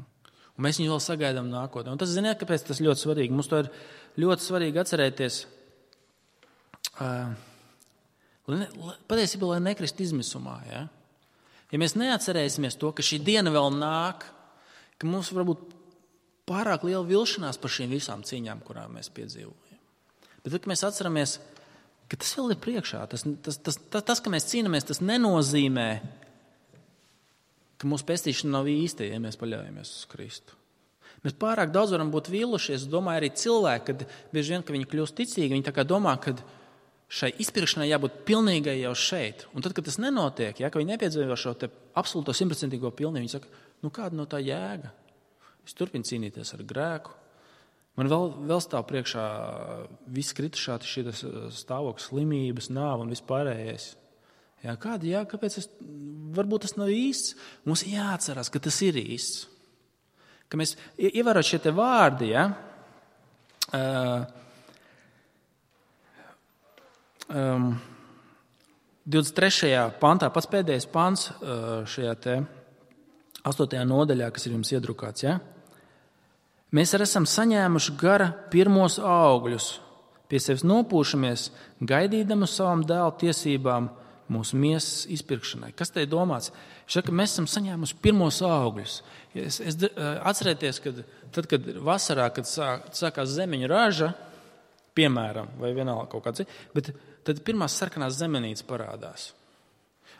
Un mēs viņu vēl sagaidām nākotnē. Un tas, ziniet, kāpēc tas ļoti svarīgi? Mums to ir ļoti svarīgi atcerēties, uh, lai, lai, patiesībā, lai nekrist izmisumā, ja? Ja mēs neatcerēsimies to, ka šī diena vēl nāk, ka mums varbūt pārāk liela vilšanās par šīm visām cīņām, kurām mēs piedzīvojam. Bet tad, kad mēs atceramies, ka tas vēl ir priekšā, tas, tas, tas, tas, tas ka mēs cīnāmies, tas nenozīmē, ka mūsu pestīšana nav īsta, ja mēs paļaujamies uz Kristu. Mēs pārāk daudz varam būt vīlušies, domāju arī cilvēki, kad bieži vien, ka viņi kļūst ticīgi, viņi tā kā domā, ka šai izpirkšanai jābūt pilnīgai jau šeit. Un tad, kad tas nenotiek, ja, ka viņi nepiedzīvo šo te absolūto simtprocentīgo pilnību, viņi saka, nu kāda no tā jēga? Es turpinu cīnīties ar grēku. Man vēl, vēl stāv priekšā viss kritušā, šī stāvoklis, slimības, nāva un vispārējais. Ja, kāda jēga, kāpēc es, varbūt tas nav īsts? Mums jāatcerās, ka tas ir īsts. Ka mēs ievērot šie te vārdi, ja, uh, Um, divdesmit trešajā pantā, pats pēdējais pants uh, šajā te astotajā nodaļā, kas ir jums iedrukāts, ja? Mēs arī esam saņēmuši gara pirmos augļus, pie sevis nopūšamies, gaidīdam uz savām dēlu tiesībām mūsu miesas izpirkšanai. Kas te ir domāts? Šeit, ka mēs esam saņēmuši pirmos augļus. Es, es, atcerieties, kad, tad, kad vasarā, kad sāk, sākās zemeņu raža, piemēram, vai vienalga kaut kāds, bet tad pirmās sarkanās zemenītes parādās.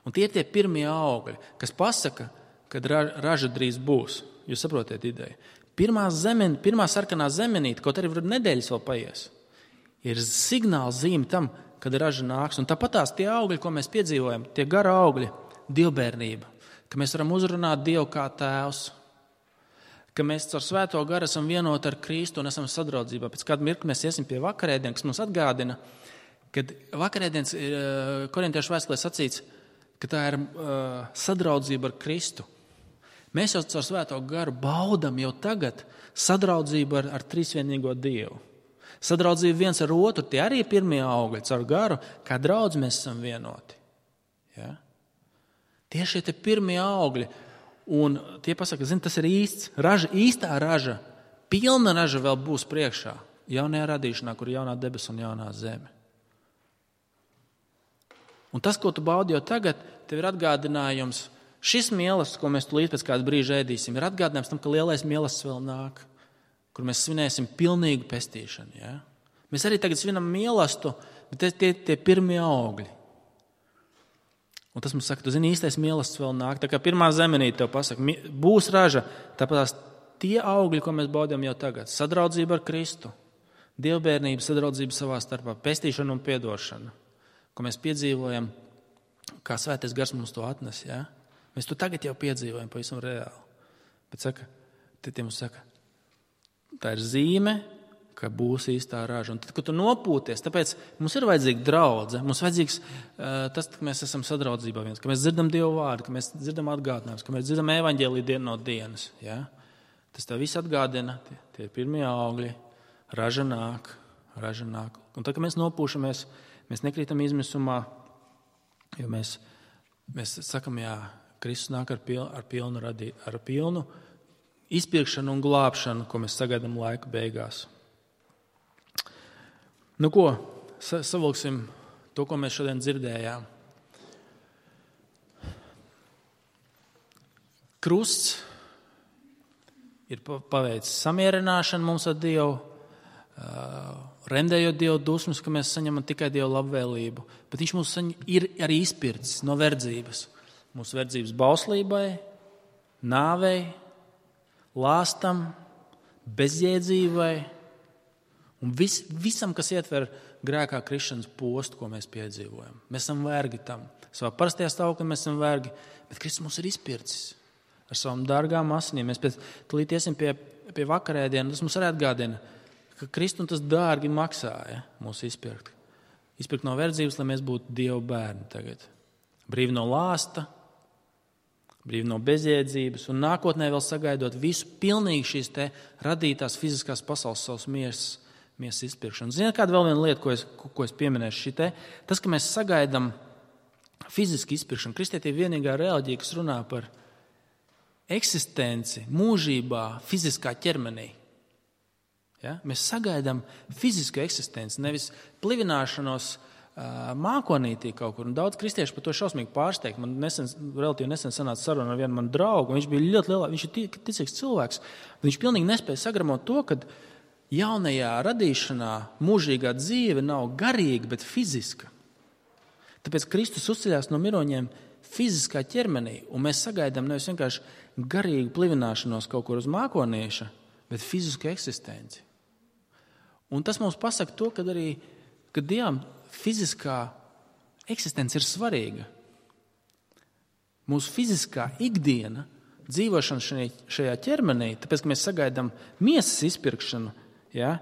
Un tie ir tie pirmie augļi, kas pasaka, kad raža drīz būs. Jūs saprotiet ideju. Pirmā, zemen, pirmā sarkanā zemenīte, kaut arī var nedēļas vēl paies, ir signāls zīme tam, kad raža nāks. Un tāpatās tie augļi, ko mēs piedzīvojam, tie gara augļi, dievbērnība, ka mēs varam uzrunāt Dievu kā tēvs, ka mēs caur svēto garu esam vienoti ar Kristu un esam sadraudzībā. Pēc kāda mirkļa mēs iesim pie vakarēdienas, kas mums atgādina, kad vakarēdienas ir korintiešu vēstulē sacīts, ka tā ir uh, sadraudzība ar Kristu. Mēs jau caur svēto garu baudam jau tagad sadraudzību ar, ar trīsvienīgo Dievu. Sadraudzību viens ar otru, tie arī ir pirmie augļi caur garu, kā draudz mēs esam vienoti. Ja? Tie šie te pirmie augļi. Un tie pasaka, zin, tas ir īsts. Raža, īstā raža, pilna raža vēl būs priekšā. Jaunajā radīšanā, kur ir jaunā debes un jaunā zeme. Un tas, ko tu baudi jau tagad, tev ir atgādinājums. Šis mīlestības, ko mēs tūlīt pēc kāda brīža ēdīsim, ir atgādinājums tam, ka lielais mīlestības vēl nāk, kur mēs svinēsim pilnīgu pestīšanu. Ja? Mēs arī tagad svinam mīlestību, bet tie, tie, tie pirmie augļi. Un tas mums saka, tu zini, īstais mīlestības vēl nāk. Tā kā pirmā zemenīte tev pasaka, būs raža, tāpēc tie augļi, ko mēs baudām jau tagad. Sadraudzība ar Kristu, dievbērnība, sadraudzība savā starpā, pestīšana un piedošana, ko mēs piedzīvojam, kā Svētais Gars mums to atnes. Ja? Mēs to tagad jau piedzīvojam pavisam reāli. Bet saka, tie mums saka, tā ir zīme, ka būs īstā raža. Un tad, kad tu nopūties, tāpēc mums ir vajadzīga draudze, mums vajadzīgs uh, tas, ka mēs esam sadraudzībā viens, ka mēs dzirdam Dievu vārdu, ka mēs dzirdam atgādinājumus, ka mēs dzirdam evaņģēliju dienu no dienas. Ja? Tas tev viss atgādina, tie, tie ir pirmie augļi, raža nāk, raža nāk. Un tad, kad mēs nopūšamies, mēs nekrītam izmisumā, jo mēs, mēs sakam, jā, Kristus nāk ar pilnu, ar pilnu, radī, ar pilnu izpirkšanu un glābšanu, ko mēs sagaidām laika beigās. Nu ko, savilksim to, ko mēs šodien dzirdējām. Krusts ir paveicis samierināšanu mums ar Dievu, rendējot Dievu dusmas, ka mēs saņemam tikai Dievu labvēlību, bet viņš mums ir arī izpircis no verdzības. Mūsu verdzības bauslībai, nāvei, lāstam, bezjēdzībai un vis, visam, kas ietver grēkā krišanas postu, ko mēs piedzīvojam. Mēs esam vergi tam. Savā parastajā stāvoklī mēs esam vergi, bet Kristus mums ir izpircis ar savām dārgām asinīm. Mēs pēc tūlīt iesim pie, pie vakarēdienu, tas mums arī atgādina, ka Kristum tas dārgi maksāja mūs izpirkt. Izpirkt no verdzības, lai mēs būtu Dieva bērni tagad. Brīvi no lāsta, brīvi no bezjēdzības un nākotnē vēl sagaidot visu pilnīgi šīs te radītās fiziskās pasaules savas miesas, miesas izpirkšanu. Ziniet, kāda vēl viena lieta, ko es, ko, ko es pieminēšu šitē? Tas, ka mēs sagaidām fiziski izpirkšanu. Kristietība vienīgā reliģija, kas runā par eksistenci mūžībā fiziskā ķermenī. Ja? Mēs sagaidām fizisku eksistenci, nevis plivināšanos mākonītī kaut kur. Un daudz kristiešu par to šausmīgi pārsteigt. Man nesen, relatīvi nesen sanāca saruna ar vienu manu draugu. Viņš bija ļoti lielā, viņš ir ticīgs cilvēks. Viņš pilnīgi nespēja sagramot to, ka jaunajā radīšanā mūžīgā dzīve nav garīga, bet fiziska. Tāpēc Kristus uzceļās no miroņiem fiziskā ķermenī, un mēs sagaidām nevis vienkārši garīgu plivināšanos kaut kur uz mākonieša, bet fizisku eksistenci. Un tas mums pasaka to, ka arī, ka Dievam fiziskā eksistence ir svarīga. Mūsu fiziskā ikdiena, dzīvošana šajā ķermenī, tāpēc, ka mēs sagaidām miesas izpirkšanu, ja,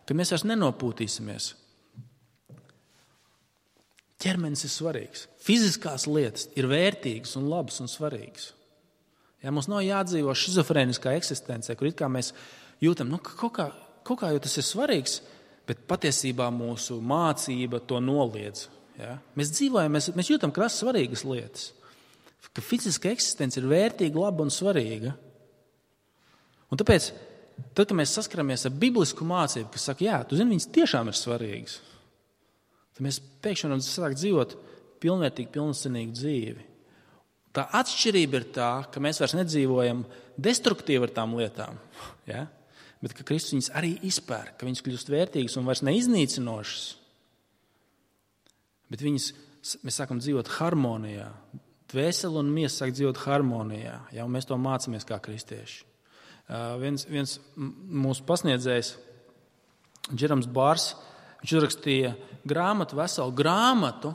ka mēs vairs nenopūtīsimies. Ķermenis ir svarīgs. Fiziskās lietas ir vērtīgas un labas un svarīgas. Ja, mums nav jādzīvo šizofrēniskā eksistencē, kur it kā mēs jūtam, nu, kaut kā, kaut kā jau tas ir svarīgs, bet patiesībā mūsu mācība to noliedz. Ja? Mēs dzīvojam, mēs, mēs jūtam, ka tas ir svarīgas lietas. Ka fiziska eksistence ir vērtīga, laba un svarīga. Un tāpēc, tad, kad mēs saskaramies ar biblisku mācību, kas saka, jā, tu zini, viņas tiešām ir svarīgas, tad mēs pēkšņi varam sākt dzīvot pilnvērtīgu, pilnsienīgu dzīvi. Tā atšķirība ir tā, ka mēs vairs nedzīvojam destruktīvi ar tām lietām, ja? Bet ka Kristus viņas arī izpērk, ka viņas kļūst vērtīgas un vairs neiznīcinošas. Bet viņas, mēs sākam dzīvot harmonijā. Dvēseli un miesa sāk dzīvot harmonijā, ja, un mēs to mācāmies kā kristieši. Uh, viens, viens mūsu pasniedzējs, Džerams Bārs, viņš uzrakstīja grāmatu, veselu grāmatu,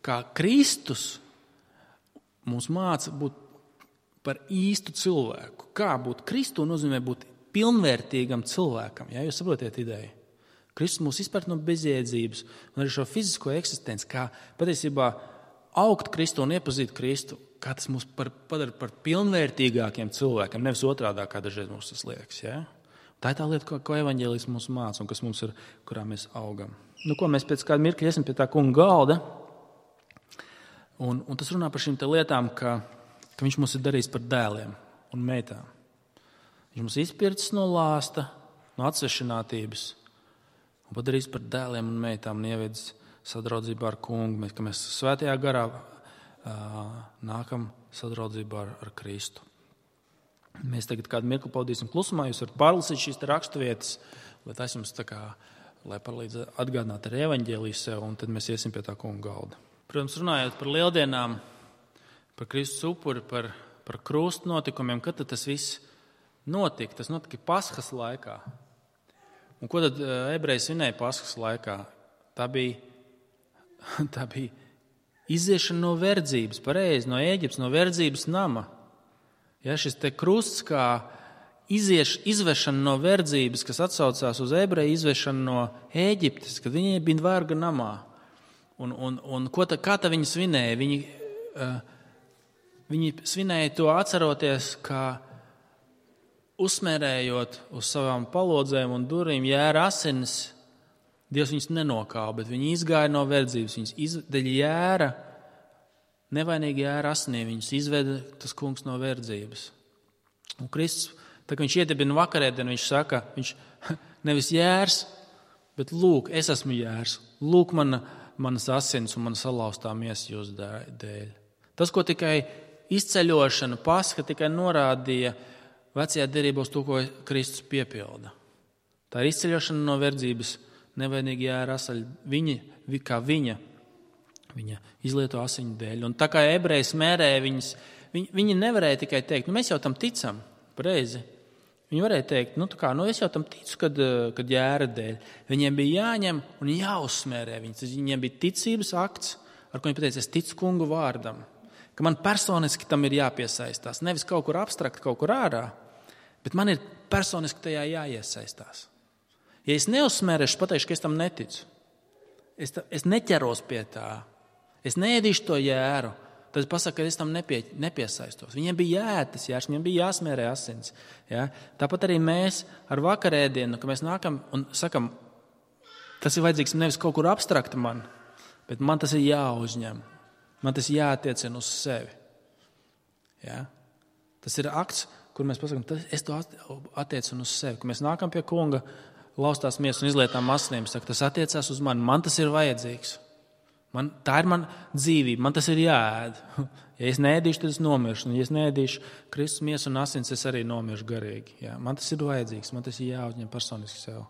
kā Kristus mums māca būt par īstu cilvēku. Kā būt Kristu nozīmē būt pilnvērtīgam cilvēkam. Ja, jūs saprotiet ideju? Kristus mūs izpērt no bezjēdzības un arī šo fizisko eksistenci, kā patiesībā augt Kristu un iepazīt Kristu, kā tas mūs par, padara par pilnvērtīgākiem cilvēkiem, nevis otrādā, kā dažreiz mums tas liekas. Ja? Tā ir tā lieta, ko, ko evaņģēlijs mums māca un kas mums ir, kurā mēs augam. Nu, ko mēs pēc kāda mirkļa iesim pie tā kunga galda Un, un tas runā par šīm lietām, ka, ka viņš mūs ir darījis par dēliem un meitām. Viņš mūs izpircis no lāsta, no atsvešinātības un padarījis par dēliem un meitām un ievedis sadraudzībā ar kungu. Mēs, ka mēs svētajā garā uh, nākam sadraudzībā ar, ar Kristu. Mēs tagad kādu mirkli pavadīsim klusumā. Jūs varat pārlasīt šīs raksturvietas, lai tas jums tā kā, lai palīdz atgādināt ar evaņģēliju sev, un tad mēs iesim pie tā kunga galda. Protams, runājot par lieldienām, par Kristus upuri, par, par krustu notikumiem, kad tas viss notika? Tas notika Paskas laikā. Un ko tad ebreji svinēja Paskas laikā? Tā bija, tā bija iziešana no verdzības, pareizi, no Ēģiptes, no verdzības nama. Ja, šis te krusts kā izieš, izvešana no verdzības, kas atsaucās uz ebreju izvešanu no Ēģiptes, kad viņi bija verga namā. Un, un, un ko tā, kā tā viņi svinēja? Viņi, uh, viņi svinēja to atceroties, kā uzsmērējot uz savām palodzēm un durvīm jēra asinis. Dievs viņus nenokāva, bet viņi izgāja no verdzības. Viņus izdeļ jēra, nevainīgi jēra asinī. Viņus izveda tas kungs no verdzības. Un Kristus, tā kā viņš iedibina vakarēdienu, viņš saka, viņš nevis jērs, bet lūk, es esmu jērs. Lūk, mana manas asins un mana salauztā miesa jūsu dēļ. Tas, ko tikai izceļošana, Paska tikai norādīja vecajā derībā uz to, ko Kristus piepilda. Tā ir izceļošana no verdzības, nevainīgi jēra asaļ, viņa, kā viņa, viņa izlieto asiņu dēļ. Un tā kā ebreji smērēja viņas, viņi, viņi nevarēja tikai teikt, nu mēs jau tam ticam, pareizi. Viņi varēja teikt, nu, tā kā, nu es jau tam ticu, kad, kad jēra dēļ. Viņiem bija jāņem un jāuzsmērē viņas. Viņiem bija ticības akts, ar ko viņi pateica, es ticu kungu vārdam. Ka man personiski tam ir jāpiesaistās. Nevis kaut kur abstrakt, kaut kur ārā, bet man ir personiski tajā jāiesaistās. Ja es neuzsmērēšu, pateikšu, ka es tam neticu. Es, ta, es neķeros pie tā. Es neēdīšu to jēru. Tad pasaka, ka es tam nepie, nepiesaistos. Viņiem bija jāēd tas jērs, viņiem bija jāsmērē asins. Ja? Tāpat arī mēs ar vakarēdienu, ka mēs nākam un sakam, tas ir vajadzīgs nevis kaut kur abstrakti man, bet man tas ir jāuzņem. Man tas jāattiecina uz sevi. Ja? Tas ir akts, kur mēs pasakam, es to attiecinu uz sevi. Ka mēs nākam pie kunga, laustās miesas un izlietām asinīm, saka, tas attiecās uz mani, man tas ir vajadzīgs. Man, tā ir mana dzīvība, man tas ir jāēd. Ja es neēdīšu, tad es nomiršu. Un ja es neēdīšu Kristus miesu un asins, es arī nomiršu garīgi. Ja? Man tas ir vajadzīgs, man tas ir jāuzņem personiski sev.